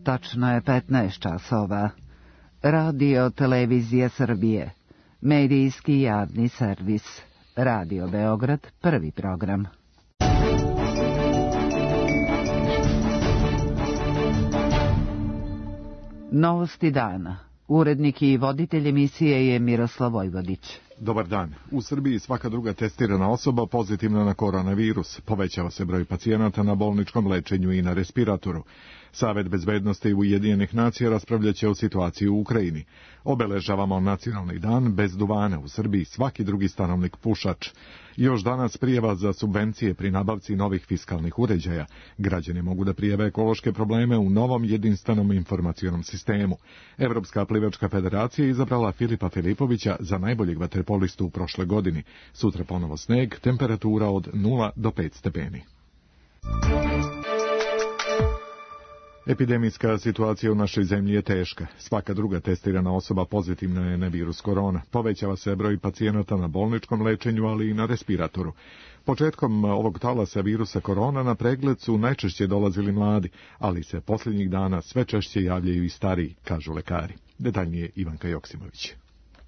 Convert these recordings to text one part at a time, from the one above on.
Tačno je 15 časova. Radio Televizija Srbije. Medijski javni servis. Radio Beograd, prvi program. Novosti dana. Urednik i voditelj emisije je Miroslav Vojvodić. Dobar dan. U Srbiji svaka druga testirana osoba pozitivna na koronavirus. Povećava se broj pacijenata na bolničkom lečenju i na respiratoru. Savet bezbednosti Ujedinjenih nacija raspravljaće o situaciji u Ukrajini. Obeležavamo nacionalni dan bez duvana. U Srbiji svaki drugi stanovnik pušač. Još danas prijava za subvencije pri nabavci novih fiskalnih uređaja. Građani mogu da prijave ekološke probleme u novom jedinstvenom informacionom sistemu. Evropska plivačka federacija izabrala Filipa Filipovića za najboljeg vaterpolistu u prošle godini. Sutra ponovo sneg, temperatura od 0 do 5 stepeni. Epidemijska situacija u našoj zemlji je teška. Svaka druga testirana osoba pozitivna je na virus korona. Povećava se broj pacijenata na bolničkom lečenju, ali i na respiratoru. Početkom ovog talasa virusa korona na pregled su najčešće dolazili mladi, ali se posljednjih dana sve češće javljaju i stariji, kažu lekari. Detaljnije Ivanka Joksimović.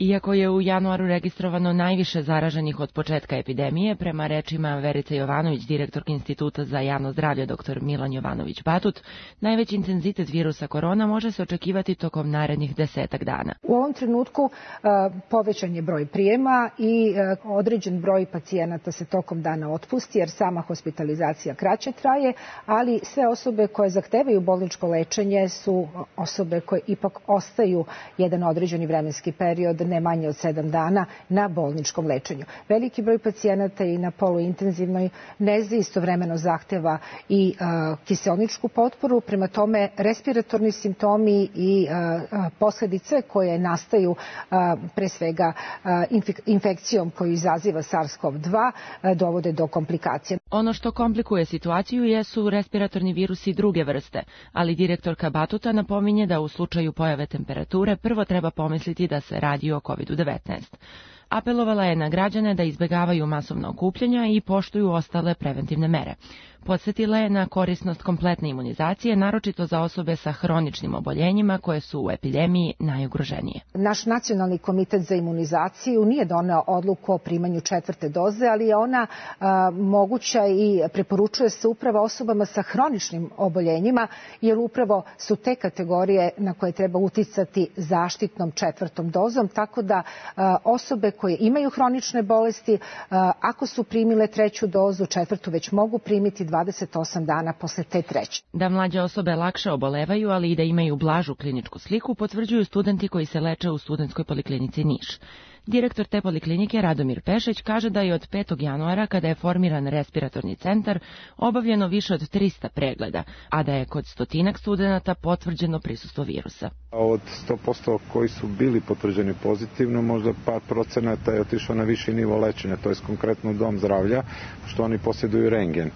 Iako je u januaru registrovano najviše zaraženih od početka epidemije, prema rečima Verice Jovanović, direktorke Instituta za javno zdravlje dr. Milan Jovanović-Batut, najveći intenzitet virusa korona može se očekivati tokom narednih 10 dana. U ovom trenutku povećan je broj prijema i određen broj pacijenata se tokom dana otpusti, jer sama hospitalizacija kraće traje, ali sve osobe koje zahtevaju bolničko lečenje su osobe koje ipak ostaju jedan određeni vremenski period, ne manje od 7 dana, na bolničkom lečenju. Veliki broj pacijenata i na poluintenzivnoj nezi istovremeno zahteva i kiseoničku potporu, prema tome respiratorni simptomi i posljedice koje nastaju pre svega infekcijom koju izaziva SARS-CoV-2 dovode do komplikacija. Ono što komplikuje situaciju jesu respiratorni virusi druge vrste, ali direktorka Batuta napominje da u slučaju pojave temperature prvo treba pomisliti da se radi o COVID-19. Apelovala je na građane da izbjegavaju masovna okupljanja i poštuju ostale preventivne mere. Podsjetila je na korisnost kompletne imunizacije, naročito za osobe sa hroničnim oboljenjima koje su u epidemiji najugroženije. Naš nacionalni komitet za imunizaciju nije doneo odluku o primanju 4. doze, ali je ona moguća i preporučuje se upravo osobama sa hroničnim oboljenjima, jer upravo su te kategorije na koje treba uticati zaštitnom 4. dozom, tako da osobe koje imaju hronične bolesti, ako su primile 3. dozu, 4. već mogu primiti 28 dana posle te 3. Da mlađe osobe lakše obolevaju, ali i da imaju blažu kliničku sliku, potvrđuju studenti koji se leče u Studentskoj poliklinici Niš. Direktor te poliklinike Radomir Pešić kaže da je od 5. januara, kada je formiran respiratorni centar, obavljeno više od 300 pregleda, a da je kod 100 studenata potvrđeno prisustvo virusa. Od 100% koji su bili potvrđeni pozitivno, možda par procenata je otišao na viši nivo lečenja, to je konkretno dom zdravlja, što oni posjeduju rentgen.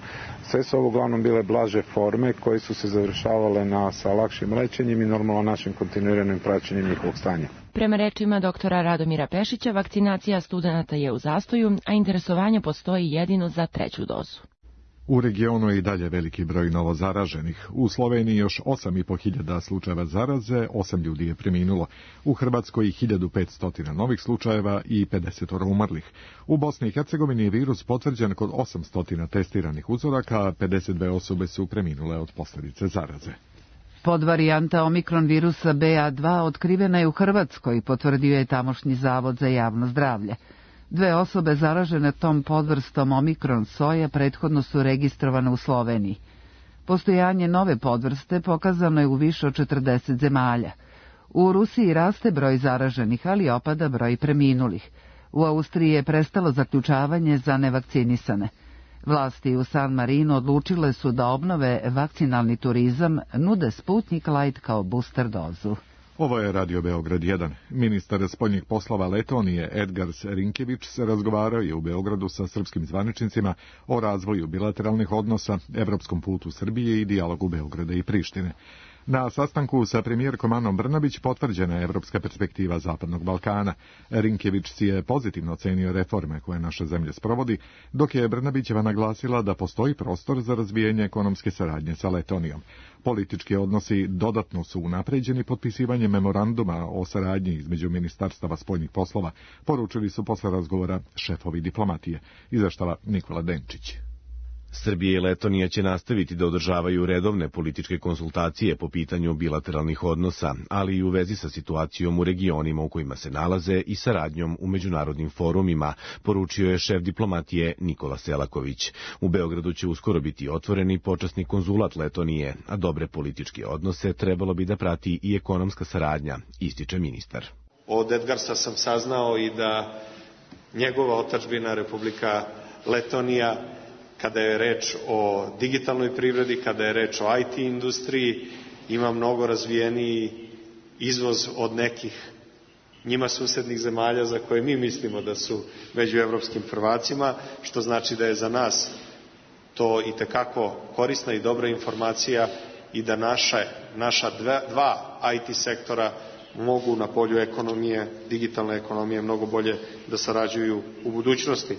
Sve su ovo uglavnom bile blaže forme koje su se završavale sa lakšim lečenjem i normalno našim kontinuiranim praćenjem njihovog stanja. Prema rečima doktora Radomira Pešića, vakcinacija studenata je u zastoju, a interesovanje postoji jedino za 3. dozu. U regionu je i dalje veliki broj novozaraženih. U Sloveniji još 8.500 slučajeva zaraze, 8 ljudi je preminulo. U Hrvatskoj 1500 novih slučajeva i 50 umrlih. U Bosni i Hercegovini je virus potvrđen kod 800 testiranih uzoraka, a 52 osobe su preminule od posljedice zaraze. Podvarijanta omikron virusa BA2 otkrivena je u Hrvatskoj, potvrdio je tamošnji Zavod za javno zdravlje. 2 osobe zaražene tom podvrstom omikron soja prethodno su registrovane u Sloveniji. Postojanje nove podvrste pokazano je u više od 40 zemalja. U Rusiji raste broj zaraženih, ali opada broj preminulih. U Austriji je prestalo zaključavanje za nevakcinisane. Vlasti u San Marinu odlučile su da obnove vakcinalni turizam, nude Sputnik Light kao booster dozu. Ovo je Radio Beograd 1. Ministar spoljnih poslova Letonije Edgars Rinkević razgovarao je u Beogradu sa srpskim zvaničnicima o razvoju bilateralnih odnosa, evropskom putu Srbije i dijalogu Beograda i Prištine. Na sastanku sa premijerkom Anom Brnabić potvrđena je evropska perspektiva Zapadnog Balkana. Rinkević si je pozitivno ocenio reforme koje naša zemlja sprovodi, dok je Brnabićeva naglasila da postoji prostor za razvijanje ekonomske saradnje sa Letonijom. Politički odnosi dodatno su unapređeni potpisivanjem memoranduma o saradnji između ministarstava spoljnih poslova, poručili su posle razgovora šefovi diplomatije. Izveštava Nikola Denčić. Srbija i Letonija će nastaviti da održavaju redovne političke konsultacije po pitanju bilateralnih odnosa, ali i u vezi sa situacijom u regionima u kojima se nalaze i saradnjom u međunarodnim forumima, poručio je šef diplomatije Nikola Selaković. U Beogradu će uskoro biti otvoreni počasni konzulat Letonije, a dobre političke odnose trebalo bi da prati i ekonomska saradnja, ističe ministar. Od Edgarsa sam saznao i da njegova otadžbina Republika Letonija, kada je reč o digitalnoj privredi, kada je reč o IT industriji, ima mnogo razvijeniji izvoz od nekih njima susednih zemalja za koje mi mislimo da su među evropskim prvacima, što znači da je za nas to itekako korisna i dobra informacija i da naša dva IT sektora mogu na polju ekonomije, digitalne ekonomije, mnogo bolje da sarađuju u budućnosti.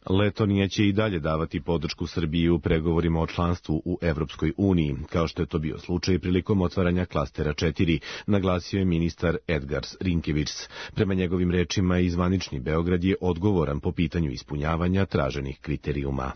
Letonija će i dalje davati podršku Srbiji u pregovorima o članstvu u Evropskoj uniji, kao što je to bio slučaj prilikom otvaranja klastera 4, naglasio je ministar Edgars Rinkević. Prema njegovim rečima, i zvanični Beograd je odgovoran po pitanju ispunjavanja traženih kriterijuma.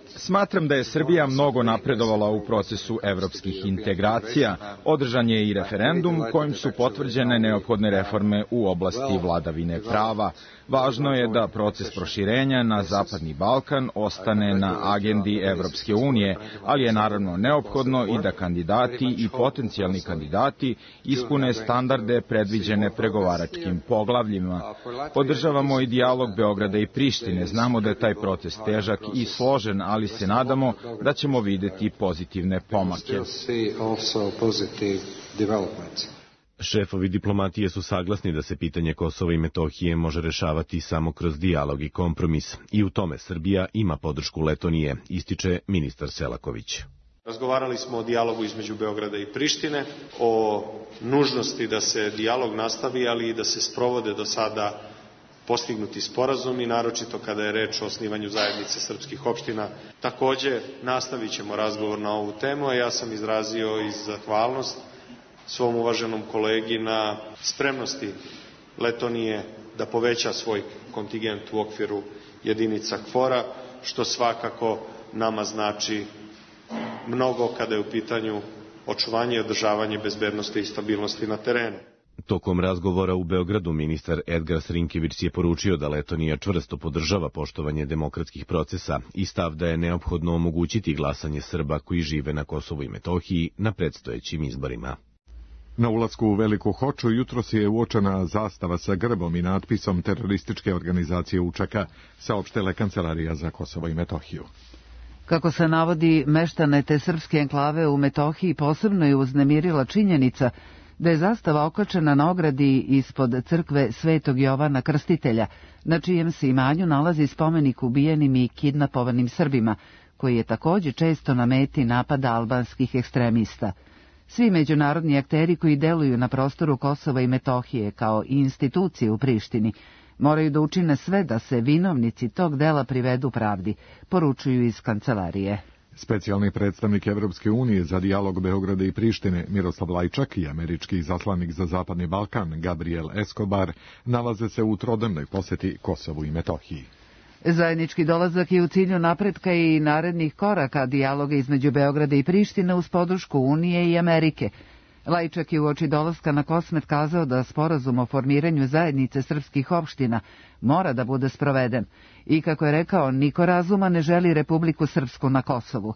Smatram da je Srbija mnogo napredovala u procesu evropskih integracija. Održan je i referendum kojim su potvrđene neophodne reforme u oblasti vladavine prava. Važno je da proces proširenja na Zapadni Balkan ostane na agendi Evropske unije, ali je naravno neophodno i da kandidati i potencijalni kandidati ispune standarde predviđene pregovaračkim poglavljima. Podržavamo i dijalog Beograda i Prištine. Znamo da je taj proces težak i složen, ali se nadamo da ćemo videti pozitivne pomake. Šefovi diplomatije su saglasni da se pitanje Kosova i Metohije može rešavati samo kroz dijalog i kompromis. I u tome Srbija ima podršku Letonije, ističe ministar Selaković. Razgovarali smo o dijalogu između Beograda i Prištine, o nužnosti da se dijalog nastavi, ali i da se sprovode do sada postignuti sporazumi, naročito kada je reč o osnivanju zajednice srpskih opština. Takođe, nastavit ćemo razgovor na ovu temu, a ja sam izrazio i zahvalnost svom uvaženom kolegi na spremnosti Letonije da poveća svoj kontingent u okviru jedinica KFOR-a, što svakako nama znači mnogo kada je u pitanju očuvanje i održavanje bezbednosti i stabilnosti na terenu. Tokom razgovora u Beogradu ministar Edgars Rinkević je poručio da Letonija čvrsto podržava poštovanje demokratskih procesa i stav da je neophodno omogućiti glasanje Srba koji žive na Kosovu i Metohiji na predstojećim izborima. Na ulasku u Veliku Hoču jutros je uočena zastava sa grbom i natpisom terorističke organizacije UČK, saopštila Kancelarija za Kosovo i Metohiju. Kako se navodi, meštane te srpske enklave u Metohiji posebno je uznemirila činjenica da je zastava okačena na ogradi ispod crkve Svetog Jovana Krstitelja, na čijem se imanju nalazi spomenik ubijenim i kidnapovanim Srbima, koji je također često na meti napada albanskih ekstremista. Svi međunarodni akteri koji deluju na prostoru Kosova i Metohije kao i institucije u Prištini moraju da učine sve da se vinovnici tog dela privedu pravdi, poručuju iz kancelarije. Specijalni predstavnik Evropske unije za dijalog Beograda i Prištine Miroslav Lajčak i američki izaslanik za Zapadni Balkan Gabriel Escobar nalaze se u trodnevnoj poseti Kosovu i Metohiji. Zajednički dolazak je u cilju napretka i narednih koraka dijaloga između Beograda i Prištine uz podršku Unije i Amerike. Lajčak je uoči dolaska na Kosmet kazao da sporazum o formiranju zajednice srpskih opština mora da bude sproveden i, kako je rekao, niko razuma ne želi Republiku Srpsku na Kosovu.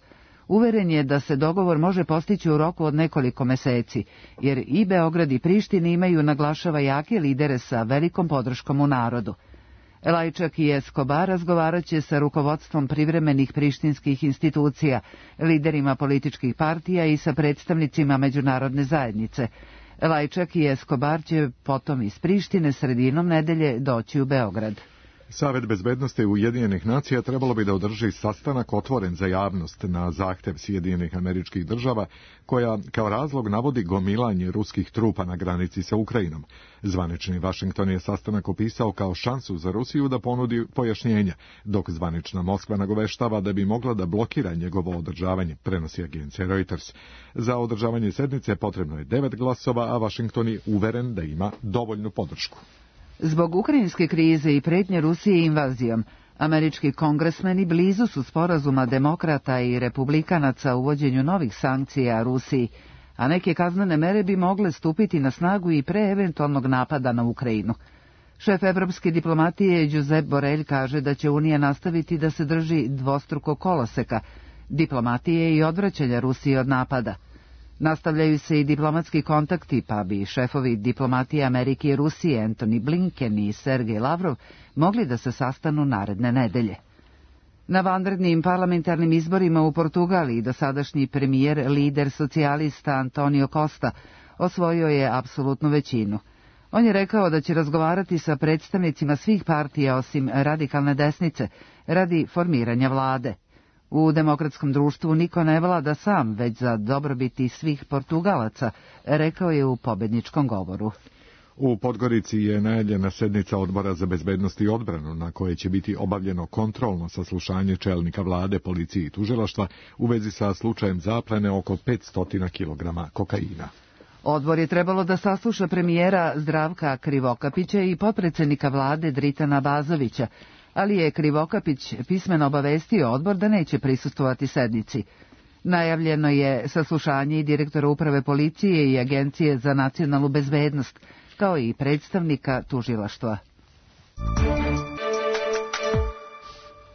Uveren je da se dogovor može postići u roku od nekoliko meseci, jer i Beograd i Priština imaju, naglašava, jake lidere sa velikom podrškom u narodu. Lajčak i Escobar razgovarat će sa rukovodstvom privremenih prištinskih institucija, liderima političkih partija i sa predstavnicima međunarodne zajednice. Lajčak i Escobar će potom iz Prištine sredinom nedelje doći u Beograd. Savet bezbednosti Ujedinjenih nacija trebalo bi da održi sastanak otvoren za javnost na zahtev Sjedinjenih Američkih Država, koja kao razlog navodi gomilanje ruskih trupa na granici sa Ukrajinom. Zvanični Vašington je sastanak opisao kao šansu za Rusiju da ponudi pojašnjenja, dok zvanična Moskva nagoveštava da bi mogla da blokira njegovo održavanje, prenosi agencija Reuters. Za održavanje sednice potrebno je 9 glasova, a Vašington je uveren da ima dovoljnu podršku. Zbog ukrajinske krize i pretnje Rusije invazijom, američki kongresmeni blizu su sporazuma demokrata i republikanaca u uvođenju novih sankcija Rusiji, a neke kaznene mere bi mogle stupiti na snagu i pre eventualnog napada na Ukrajinu. Šef evropske diplomatije Josep Borrell kaže da će Unija nastaviti da se drži dvostruko koloseka, diplomatije i odvraćanja Rusije od napada. Nastavljaju se i diplomatski kontakti, pa bi šefovi diplomatije Amerike i Rusije Antony Blinken i Sergej Lavrov mogli da se sastanu naredne nedelje. Na vanrednim parlamentarnim izborima u Portugaliji dosadašnji premijer, lider socijalista Antonio Costa, osvojio je apsolutnu većinu. On je rekao da će razgovarati sa predstavnicima svih partija osim radikalne desnice radi formiranja vlade. U demokratskom društvu niko ne vlada sam, već za dobrobiti svih Portugalaca, rekao je u pobedničkom govoru. U Podgorici je najavljena sednica Odbora za bezbednost i odbranu, na koje će biti obavljeno kontrolno saslušanje čelnika vlade, policije i tužilaštva u vezi sa slučajem zaplene oko 500 kg kokaina. Odbor je trebalo da sasluša premijera Zdravka Krivokapića i potpredsjednika vlade Dritana Bazovića, ali je Krivokapić pismeno obavestio odbor da neće prisustvovati sednici. Najavljeno je saslušanje i direktora uprave policije i Agencije za nacionalnu bezbednost, kao i predstavnika tužilaštva.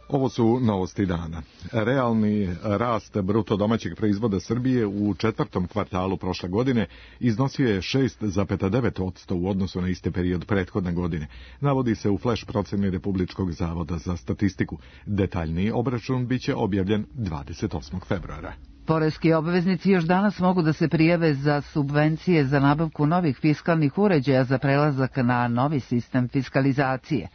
Ovo su novosti dana. Realni rast bruto domaćeg proizvoda Srbije u četvrtom kvartalu prošle godine iznosio je 6,9% u odnosu na isti period prethodne godine. Navodi se u flash proceni Republičkog zavoda za statistiku. Detaljniji obračun biće objavljen 28. februara. Poreski obveznici još danas mogu da se prijave za subvencije za nabavku novih fiskalnih uređaja za prelazak na novi sistem fiskalizacije.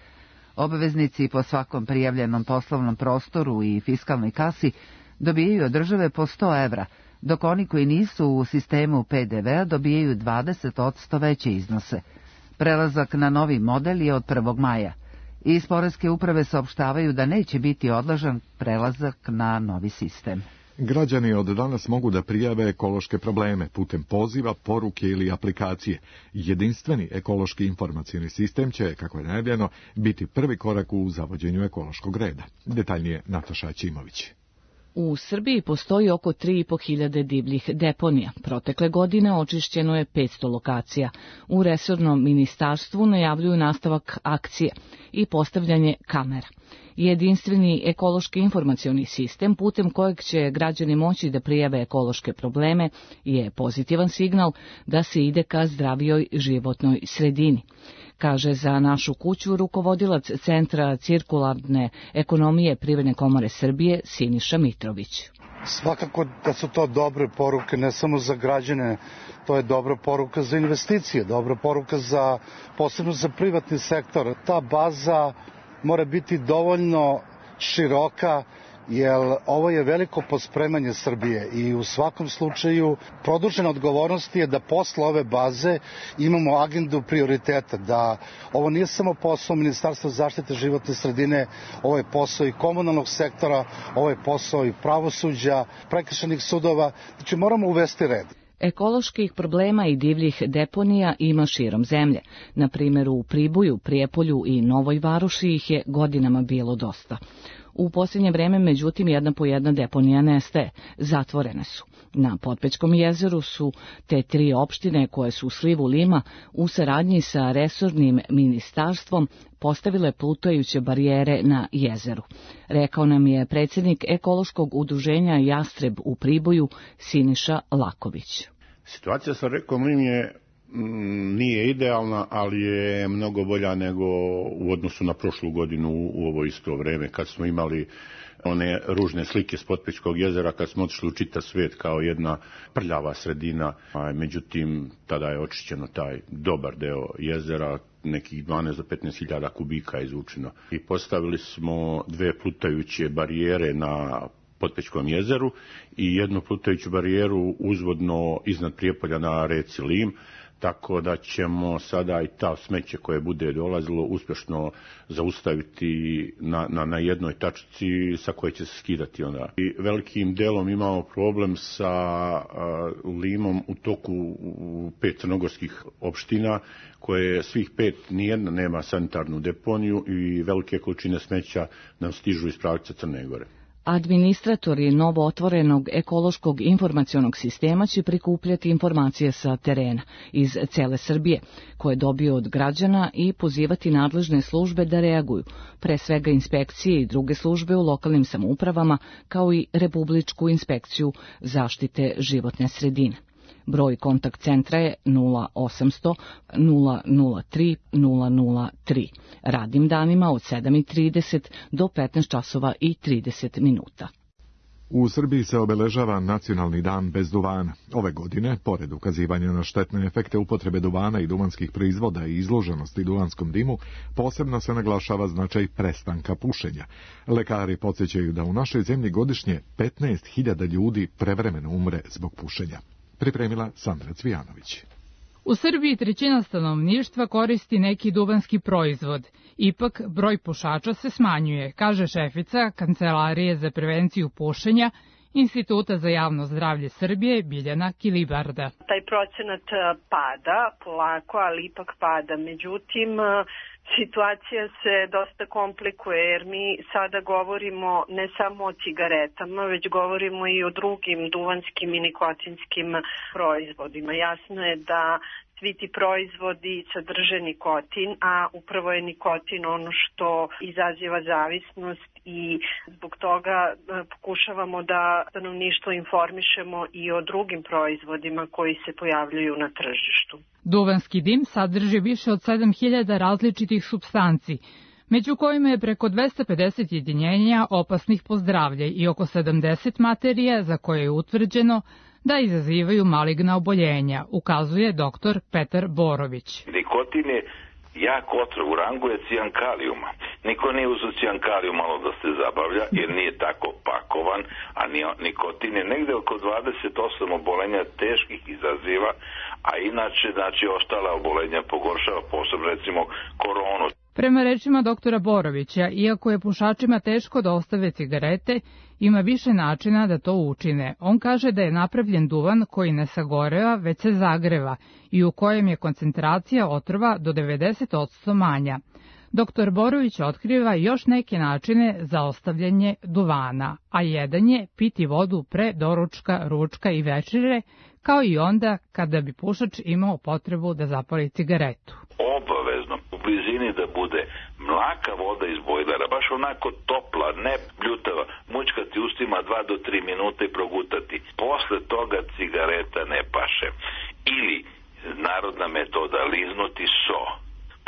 Obveznici po svakom prijavljenom poslovnom prostoru i fiskalnoj kasi dobijaju od države po 100 evra, dok oni koji nisu u sistemu PDV-a dobijaju 20% veće iznose. Prelazak na novi model je od 1. maja. Iz Poreske uprave saopštavaju da neće biti odložen prelazak na novi sistem. Građani od danas mogu da prijave ekološke probleme putem poziva, poruke ili aplikacije. Jedinstveni ekološki informacijni sistem će, kako je najavljeno, biti prvi korak u zavođenju ekološkog reda. Detaljnije Nataša Ćimović. U Srbiji postoji oko 3.500 divljih deponija. Protekle godine očišćeno je 500 lokacija. U resornom ministarstvu najavljuju nastavak akcije i postavljanje kamera. Jedinstveni ekološki informacioni sistem putem kojeg će građani moći da prijave ekološke probleme je pozitivan signal da se ide ka zdravijoj životnoj sredini, kaže za Našu kuću rukovodilac Centra cirkularne ekonomije Privredne komore Srbije Siniša Mitrović. Svakako da su to dobre poruke ne samo za građane, to je dobra poruka za investicije, dobra poruka posebno za privatni sektor. Ta baza mora biti dovoljno široka, jer ovo je veliko pospremanje Srbije i u svakom slučaju produžena odgovornost je da posle ove baze imamo agendu prioriteta, da ovo nije samo posao Ministarstva zaštite životne sredine, ovo je posao i komunalnog sektora, ovo je posao i pravosuđa, prekršajnih sudova, znači moramo uvesti red. Ekoloških problema i divljih deponija ima širom zemlje. Na primjer u Priboju, Prijepolju i Novoj Varoši ih je godinama bilo dosta. U posljednje vreme, međutim, jedna po jedna deponija nestaje, zatvorene su. Na Potpećkom jezeru su te 3 opštine koje su u slivu Lima u saradnji sa resornim ministarstvom postavile plutajuće barijere na jezeru. Rekao nam je predsjednik ekološkog udruženja Jastreb u Priboju Siniša Laković. Situacija sa rekom Lim je nije idealna, ali je mnogo bolja nego u odnosu na prošlu godinu u ovo isto vreme, kad smo imali one ružne slike s Potpećkog jezera, kad smo otišli u čitav svijet kao jedna prljava sredina. Međutim, tada je očišćeno taj dobar deo jezera, nekih 12 do 15.000 kubika je izvučeno. I postavili smo 2 plutajuće barijere na Potpećkom jezeru i jednu plutajuću barijeru uzvodno iznad Prijepolja na reci Lim, tako da ćemo sada i ta smeće koje bude dolazilo uspješno zaustaviti na jednoj tačci sa koje će se skidati onda. I velikim delom imamo problem sa Limom u toku 5 crnogorskih opština, koje svih 5 nijedna nema sanitarnu deponiju i velike količine smeća nam stižu iz pravca Crne Gore. Administratori novo otvorenog ekološkog informacionog sistema će prikupljati informacije sa terena iz cele Srbije, koje dobiju od građana i pozivati nadležne službe da reaguju, pre svega inspekcije i druge službe u lokalnim samoupravama, kao i Republičku inspekciju zaštite životne sredine. Broj kontakt centra je 0800 003 003. Radnim danima od 7:30 do 15 časova i 30 minuta. U Srbiji se obeležava Nacionalni dan bez duvana. Ove godine, pored ukazivanja na štetne efekte upotrebe duvana i duvanskih proizvoda i izloženosti duvanskom dimu, posebno se naglašava značaj prestanka pušenja. Lekari podsjećaju da u našoj zemlji godišnje 15.000 ljudi prevremeno umre zbog pušenja. Pripremila Sandra Cvijanović. U Srbiji 1/3 stanovništva koristi neki duvanski proizvod. Ipak, broj pušača se smanjuje, kaže šefica Kancelarije za prevenciju pušenja Instituta za javno zdravlje Srbije Biljana Kilibarda. Taj procenat pada polako, ali ipak pada. Međutim, situacija se dosta komplikuje jer mi sada govorimo ne samo o cigaretama, već govorimo i o drugim duvanskim i nikotinskim proizvodima. Jasno je da svi ti proizvodi sadrže nikotin, a upravo je nikotin ono što izaziva zavisnost i zbog toga pokušavamo da stanovništvo informišemo i o drugim proizvodima koji se pojavljuju na tržištu. Duvanski dim sadrži više od 7.000 različitih supstanci, među kojima je preko 250 jedinjenja opasnih po zdravlje i oko 70 materija za koje je utvrđeno da izazivaju maligna oboljenja, ukazuje dr. Petar Borović. Nikotin je jak otrov, u rangu je cijankalijuma. Niko nije uzeo cijankalijum malo da se zabavlja, jer nije tako pakovan, a nikotin je negde oko 28 obolenja teških izaziva, a inače, ostala obolenja pogoršava, posebno recimo koronu. Prema rečima doktora Borovića, iako je pušačima teško da ostave cigarete, ima više načina da to učine. On kaže da je napravljen duvan koji ne sagoreva, već se zagreva i u kojem je koncentracija otrova do 90% manja. Doktor Borović otkriva još neke načine za ostavljanje duvana, a jedan je piti vodu pre doručka, ručka i večere, kao i onda kada bi pušač imao potrebu da zapali cigaretu. Obavezno u blizini da bude mlaka voda iz bojlera, baš onako topla, ne bljutava, mućkati ustima 2 do 3 minuta i progutati. Posle toga cigareta ne paše. Ili narodna metoda, liznuti so.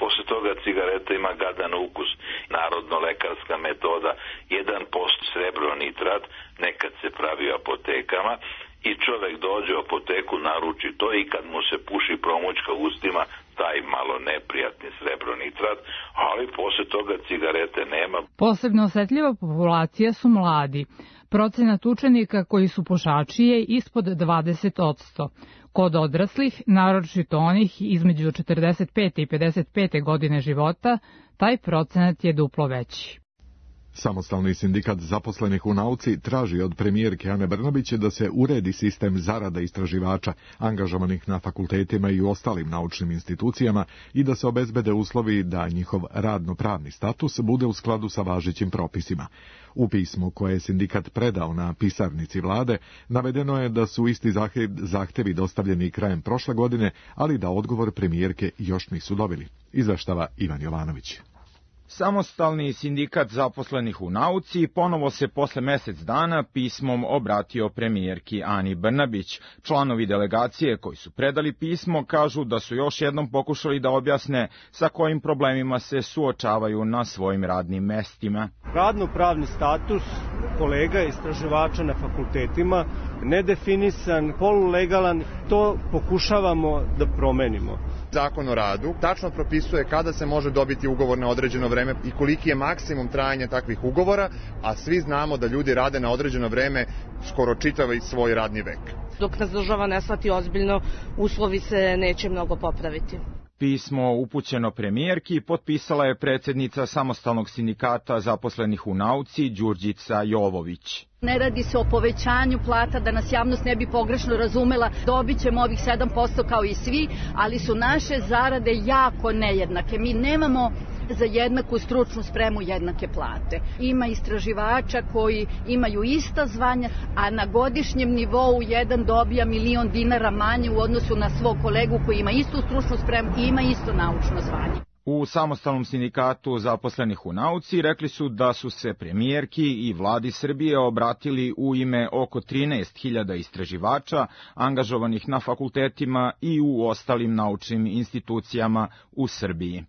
Posle toga cigareta ima gadan ukus. Narodno-lekarska metoda, 1% srebronitrat, nekad se pravi u apotekama, i čovek dođe u apoteku, naruči to i kad mu se puši promućka ustima, taj malo neprijatni srebronitrat, ali posle toga cigarete nema. Posebno osetljiva populacija su mladi. Procenat učenika koji su pušači je ispod 20%. Kod odraslih, naročito onih između 45. i 55. godine života, taj procenat je duplo veći. Samostalni sindikat zaposlenih u nauci traži od premijerke Ane Brnabić da se uredi sistem zarada istraživača angažovanih na fakultetima i u ostalim naučnim institucijama i da se obezbede uslovi da njihov radno-pravni status bude u skladu sa važećim propisima. U pismu koje je sindikat predao na pisarnici vlade navedeno je da su isti zahtevi dostavljeni krajem prošle godine, ali da odgovor premijerke još nisu dobili. Izveštava Ivan Jovanović. Samostalni sindikat zaposlenih u nauci ponovo se posle mesec dana pismom obratio premijerki Ani Brnabić. Članovi delegacije koji su predali pismo kažu da su još jednom pokušali da objasne sa kojim problemima se suočavaju na svojim radnim mestima. Radno-pravni status kolega istraživača na fakultetima, nedefinisan, polulegalan, to pokušavamo da promenimo. Zakon o radu tačno propisuje kada se može dobiti ugovor na određeno vreme i koliki je maksimum trajanja takvih ugovora, a svi znamo da ljudi rade na određeno vreme skoro čitav svoj radni vek. Dok nas država ne shvati ozbiljno, uslovi se neće mnogo popraviti. Pismo upućeno premijerki potpisala je predsjednica Samostalnog sindikata zaposlenih u nauci Đurđica Jovović. Ne radi se o povećanju plata, da nas javnost ne bi pogrešno razumela, dobit ćemo ovih 7% kao i svi, ali su naše zarade jako nejednake. Mi nemamo za jednaku stručnu spremu jednake plate. Ima istraživača koji imaju ista zvanja, a na godišnjem nivou jedan dobija $1.000.000 manje u odnosu na svog kolegu koji ima istu stručnu spremu i ima isto naučno zvanje. U Samostalnom sindikatu zaposlenih u nauci rekli su da su se premijerki i vladi Srbije obratili u ime oko 13.000 istraživača angažovanih na fakultetima i u ostalim naučnim institucijama u Srbiji.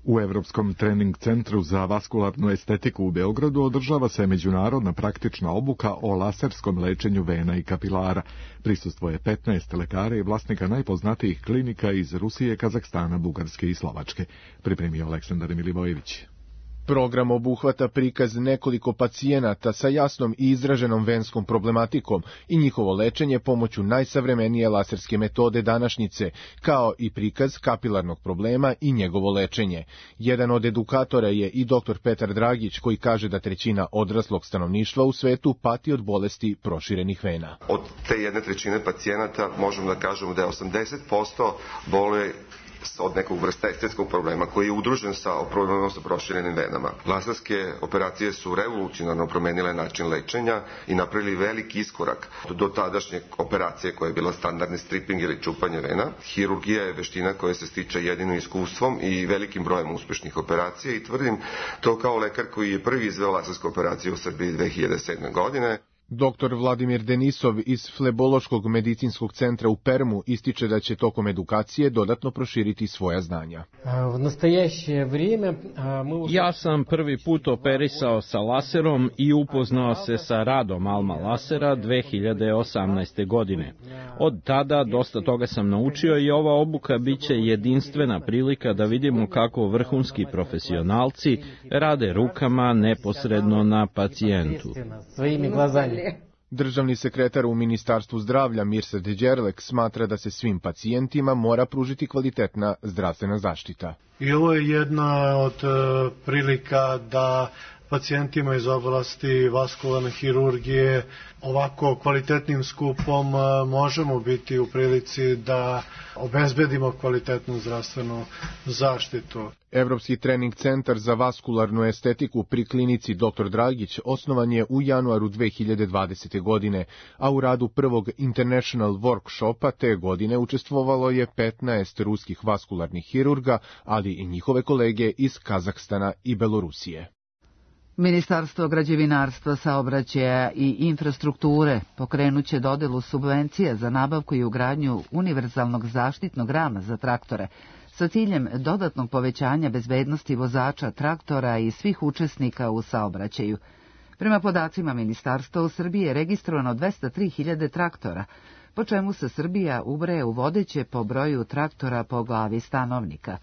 U Evropskom trening centru za vaskularnu estetiku u Beogradu održava se međunarodna praktična obuka o laserskom lečenju vena i kapilara. Prisustvuje 15 lekara i vlasnika najpoznatijih klinika iz Rusije, Kazahstana, Bugarske i Slovačke. Pripremio Aleksandar Milivojević. Program obuhvata prikaz nekoliko pacijenata sa jasnom i izraženom venskom problematikom i njihovo lečenje pomoću najsavremenije laserske metode današnjice, kao i prikaz kapilarnog problema i njegovo lečenje. Jedan od edukatora je i dr. Petar Dragić, koji kaže da 1/3 odraslog stanovništva u svetu pati od bolesti proširenih vena. Od te 1/3 pacijenata možemo da kažemo da je 80% boluje od nekog vrsta estetskog problema koji je udružen sa problemom sa proširenim venama. Laserske operacije su revolucionarno promenile način lečenja i napravili veliki iskorak do tadašnje operacije koja je bila standardni stripping ili čupanje vena. Hirurgija je veština koja se stiče jedino iskustvom i velikim brojem uspešnih operacija i tvrdim to kao lekar koji je prvi izveo lasersku operaciju u Srbiji 2007. godine. Dr. Vladimir Denisov iz Flebološkog medicinskog centra u Permu ističe da će tokom edukacije dodatno proširiti svoja znanja. Ja sam prvi put operisao sa laserom i upoznao se sa radom Alma Lasera 2018. godine. Od tada dosta toga sam naučio i ova obuka biće jedinstvena prilika da vidimo kako vrhunski profesionalci rade rukama neposredno na pacijentu. Državni sekretar u Ministarstvu zdravlja Mirsad Đerlek smatra da se svim pacijentima mora pružiti kvalitetna zdravstvena zaštita. I ovo je jedna od prilika da pacijentima iz oblasti vaskularne hirurgije ovako kvalitetnim skupom možemo biti u prilici da obezbedimo kvalitetnu zdravstvenu zaštitu. Evropski trening centar za vaskularnu estetiku pri klinici Dr. Dragić osnovan je u januaru 2020. godine, a u radu prvog International Workshopa te godine učestvovalo je 15 ruskih vaskularnih hirurga, ali i njihove kolege iz Kazahstana i Belorusije. Ministarstvo građevinarstva, saobraćaja i infrastrukture pokrenuće dodelu subvencije za nabavku i ugradnju univerzalnog zaštitnog rama za traktore sa ciljem dodatnog povećanja bezbednosti vozača traktora i svih učesnika u saobraćaju. Prema podacima ministarstva, u Srbiji je registrovano 203.000 traktora, po čemu se Srbija ubraja u vodeće po broju traktora po glavi stanovnika.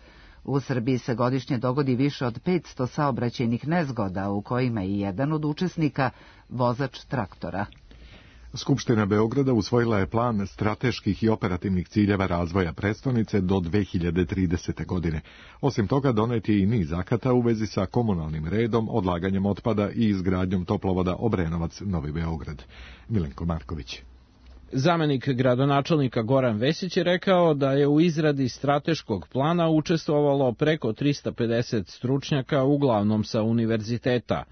U Srbiji se godišnje dogodi više od 500 saobraćajnih nezgoda, u kojima je jedan od učesnika vozač traktora. Skupština Beograda usvojila je plan strateških i operativnih ciljeva razvoja prestonice do 2030. godine. Osim toga, donet je i niz akata u vezi sa komunalnim redom, odlaganjem otpada i izgradnjom toplovoda Obrenovac-Novi Beograd. Milenko Marković. Zamenik gradonačelnika Goran Vesić je rekao da je u izradi strateškog plana učestvovalo preko 350 stručnjaka, uglavnom sa univerziteta.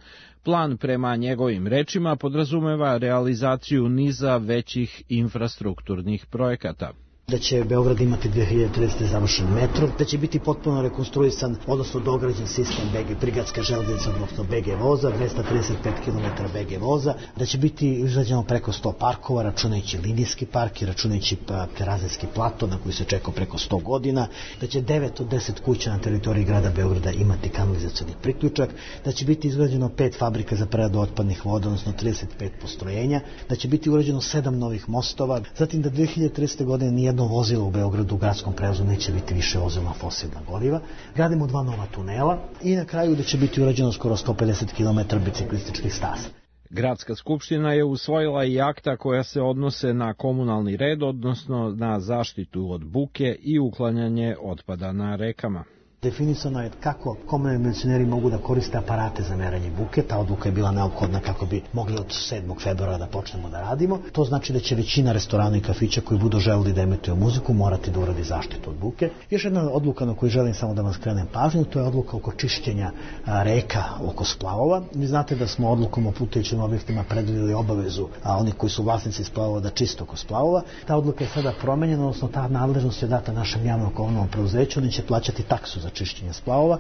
Plan, prema njegovim rečima, podrazumeva realizaciju niza većih infrastrukturnih projekata. da će Beograd imati 2030. završen metro, da će biti potpuno rekonstruisan, odnosno dograđen sistem prigradska železnica, odnosno BG voza, 235 km BG voza, da će biti izrađeno preko 100 parkova, računajući linijski park i računajući Terazijski plato na koji se čekao preko 100 godina, da će 9 od 10 kuća na teritoriji grada Beograda imati kanalizacioni priključak, da će biti izgrađeno 5 fabrika za preradu otpadnih voda, odnosno 35 postrojenja, da će biti urađeno 7 novih mostova, zatim da 2030. godine nijedno vozilo u Beogradu u gradskom prevozu neće biti više vozilo na fosilna goriva, gradimo 2 nova tunela i na kraju da će biti urađeno skoro 150 km biciklističkih staza. Gradska skupština je usvojila i akta koja se odnose na komunalni red, odnosno na zaštitu od buke i uklanjanje otpada na rekama. Definisano je kako komunalni milicioneri mogu da koriste aparate za meranje buke. Ta odluka je bila neophodna kako bi mogli od 7. februara da počnemo da radimo. To znači da će većina restorana i kafića koji budu želeli da emituju muziku morati da uradi zaštitu od buke. Još jedna odluka na koju želim samo da vam skrenem pažnju, to je odluka oko čišćenja reka oko splavova. Vi znate da smo odlukom o plutajućim objektima predvideli obavezu, a oni koji su vlasnici splavova da čiste oko splavova. Ta odluka je sada promenjena, odnosno ta nadležnost je data našem javnom komunalnom preduzeću, oni će plaćati taksu za čišćenje splavova.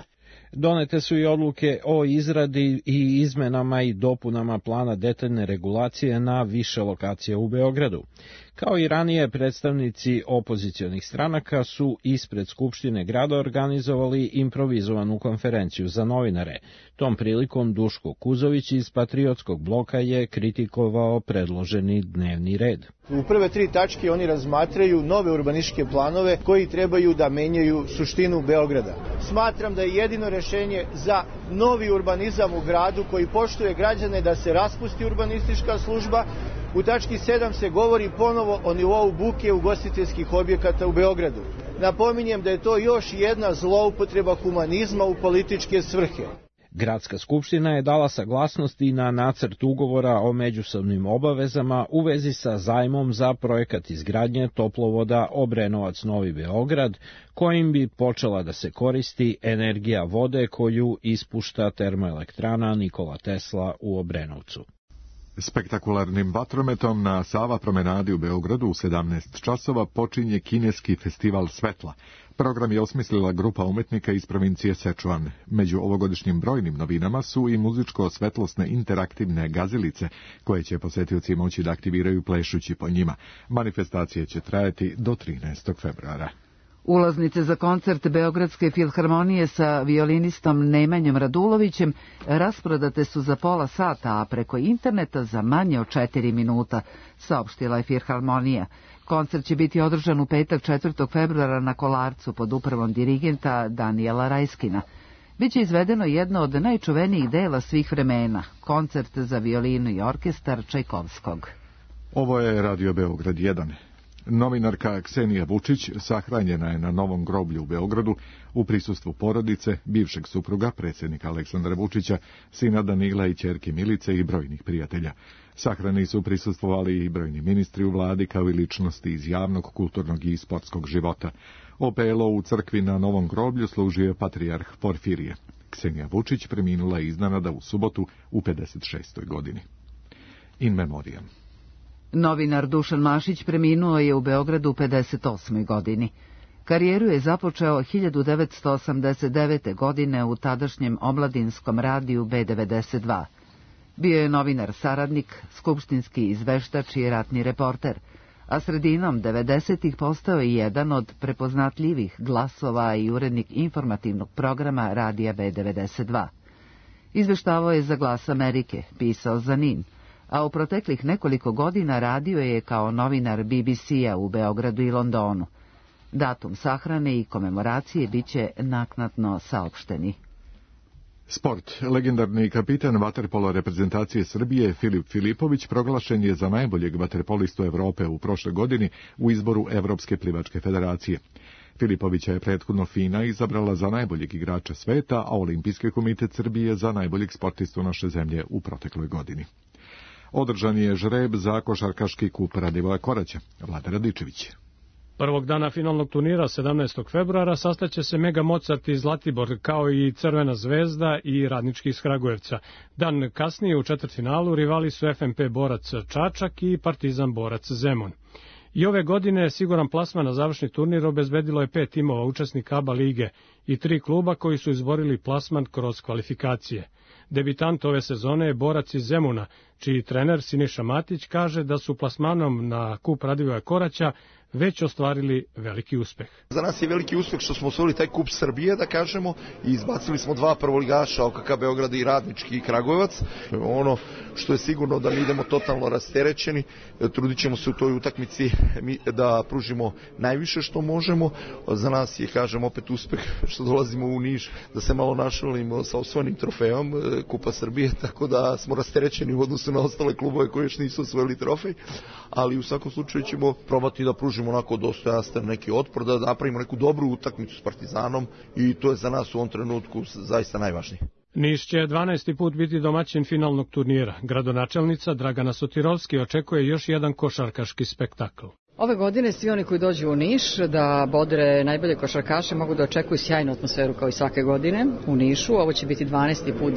Donete su i odluke o izradi i izmenama i dopunama plana detaljne regulacije na više lokacija u Beogradu. Kao i ranije, predstavnici opozicionih stranaka su ispred Skupštine grada organizovali improvizovanu konferenciju za novinare. Tom prilikom Duško Kuzović iz Patriotskog bloka je kritikovao predloženi dnevni red. U prve 3 tačke oni razmatraju nove urbanističke planove koji trebaju da menjaju suštinu Beograda. Smatram da je jedino rešenje za novi urbanizam u gradu koji poštuje građane da se raspusti urbanistička služba. U tački 7 se govori ponovo o nivou buke ugostiteljskih objekata u Beogradu. Napominjem da je to još jedna zloupotreba humanizma u političke svrhe. Gradska skupština je dala saglasnost i na nacrt ugovora o međusobnim obavezama u vezi sa zajmom za projekat izgradnje toplovoda Obrenovac-Novi Beograd, kojim bi počela da se koristi energija vode koju ispušta termoelektrana Nikola Tesla u Obrenovcu. Spektakularnim vatrometom na Sava promenadi u Beogradu u 17 časova počinje kineski festival svetla. Program je osmislila grupa umetnika iz provincije Sečuan. Među ovogodišnjim brojnim novinama su i muzičko-svetlosne interaktivne gazilice, koje će posetioci moći da aktiviraju plešući po njima. Manifestacije će trajati do 13. februara. Ulaznice za koncert Beogradske filharmonije sa violinistom Nemanjom Radulovićem rasprodate su za pola sata, a preko interneta za manje od 4 minuta, saopštila je filharmonija. Koncert će biti održan u petak 4. februara na Kolarcu pod upravom dirigenta Danijela Rajskina. Biće izvedeno jedno od najčuvenijih dela svih vremena, koncert za violinu i orkestar Čajkovskog. Ovo je Radio Beograd 1. Novinarka Ksenija Vučić sahranjena je na Novom groblju u Beogradu u prisustvu porodice, bivšeg supruga, predsjednika Aleksandra Vučića, sina Danila i ćerke Milice i brojnih prijatelja. Sahrani su prisustvovali i brojni ministri u vladi, kao i ličnosti iz javnog, kulturnog i sportskog života. Opelo u crkvi na Novom groblju služio je patrijarh Porfirije. Ksenija Vučić preminula je iznenada u subotu u 56. godini. In memoriam. Novinar Dušan Mašić preminuo je u Beogradu u 58. godini. Karijeru je započeo 1989. godine u tadašnjem omladinskom radiju B92. Bio je novinar saradnik, skupštinski izveštač i ratni reporter, a sredinom 90-ih postao je jedan od prepoznatljivih glasova i urednik informativnog programa radija B92. Izveštavao je za Glas Amerike, pisao za NIN, a u proteklih nekoliko godina radio je kao novinar BBC-a u Beogradu i Londonu. Datum sahrane i komemoracije biće naknadno saopšteni. Sport. Legendarni kapitan vaterpolo reprezentacije Srbije Filip Filipović proglašen je za najboljeg vaterpolistu Evrope u prošloj godini u izboru Evropske plivačke federacije. Filipovića je prethodno FINA izabrala za najboljeg igrača sveta, a Olimpijski komitet Srbije za najboljeg sportistu naše zemlje u protekloj godini. Održan je žreb za košarkaški kup Radivoja Koraća. Vlada Radičević. Prvog dana finalnog turnira 17. februara sastaće se Mega Mozart iz Zlatibor, kao i Crvena zvezda i Radnički iz Kragujevca. Dan kasnije u četvrtfinalu rivali su FNP Borac Čačak i Partizan Borac Zemun. I ove godine siguran plasman na završni turnir obezbedilo je 5 timova učesnika ABA lige i 3 kluba koji su izborili plasman kroz kvalifikacije. Debitant ove sezone je borac iz Zemuna, čiji trener Siniša Matić kaže da su plasmanom na kup Radivoja Koraća već ostvarili veliki uspeh. Za nas je veliki uspeh što smo osvojili taj kup Srbije, da kažemo, i izbacili smo 2 prvoligaša, OKK Beograd i Radnički i Kragujevac. Ono što je sigurno da mi idemo totalno rasterećeni, trudit ćemo se u toj utakmici da pružimo najviše što možemo. Za nas je, kažem, opet uspeh što dolazimo u Niš, da se malo našalimo sa osvojenim trofejom Kupa Srbije, tako da smo rasterećeni u odnosu na ostale klubove koji još nisu osvojili trofej, ali u svakom slučaju ćemo probati da pružimo onako dostojanstven neki otpor, da napravimo neku dobru utakmicu s Partizanom i to je za nas u ovom trenutku zaista najvažnije. Niš će 12. put biti domaćin finalnog turnira. Gradonačelnica Dragana Sotirovski očekuje još jedan košarkaški spektakl. Ove godine svi oni koji dođu u Niš da bodre najbolje košarkaše mogu da očekuju sjajnu atmosferu kao i svake godine u Nišu. Ovo će biti 12. put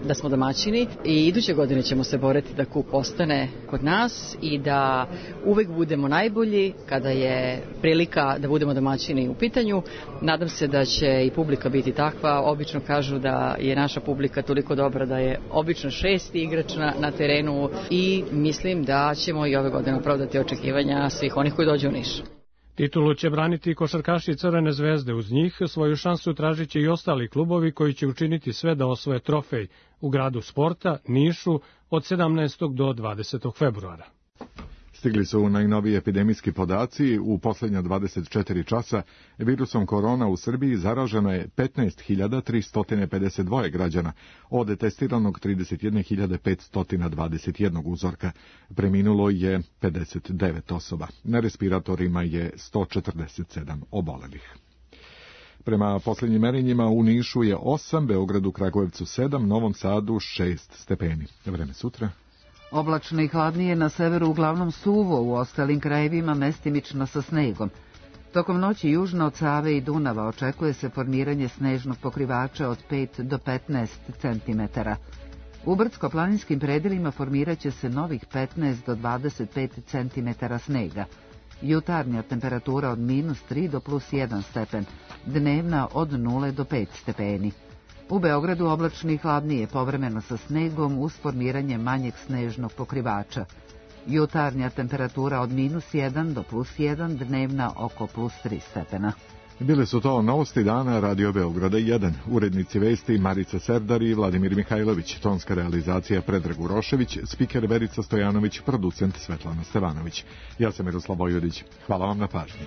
da smo domaćini i iduće godine ćemo se boriti da kup ostane kod nas i da uvek budemo najbolji kada je prilika da budemo domaćini u pitanju. Nadam se da će i publika biti takva. Obično kažu da je naša publika toliko dobra da je obično 6. igrač na terenu i mislim da ćemo i ove godine opravdati očekivanja svih onih koji dođu u Niš. Titulu će braniti košarkaši Crvene zvezde. Uz njih svoju šansu tražit će i ostali klubovi koji će učiniti sve da osvoje trofej u gradu sporta, Nišu, od 17. do 20. februara. Stigli su najnoviji epidemijski podaci. U posljednja 24 časa virusom korona u Srbiji zaraženo je 15.352 građana, od testiranog 31.521 uzorka. Preminulo je 59 osoba. Na respiratorima je 147 obolelih. Prema posljednjim merenjima u Nišu je 8, Beogradu, Kragujevcu 7, Novom Sadu 6 stepeni. Vreme sutra. Oblačno i hladnije na severu, uglavnom suvo, u ostalim krajevima mestimično sa snegom. Tokom noći južno od Save i Dunava očekuje se formiranje snežnog pokrivača od 5 do 15 cm. U brdsko-planinskim predelima formirat će se novih 15 do 25 cm snega. Jutarnja temperatura od -3 do +1 stepen, dnevna od 0 do 5 stepeni. U Beogradu oblačno i hladnije, povremeno sa snegom uz formiranje manjeg snežnog pokrivača. Jutarnja temperatura od -1 do +1, dnevna oko +3 stepena. Bile su to novosti dana Radio Beograda 1. Urednici vesti Marica Serdar i Vladimir Mihajlović, tonska realizacija Predrag Urošević, spiker Verica Stojanović, producent Svetlana Stevanović. Ja sam Miroslav Vojvodić. Hvala vam na pažnji.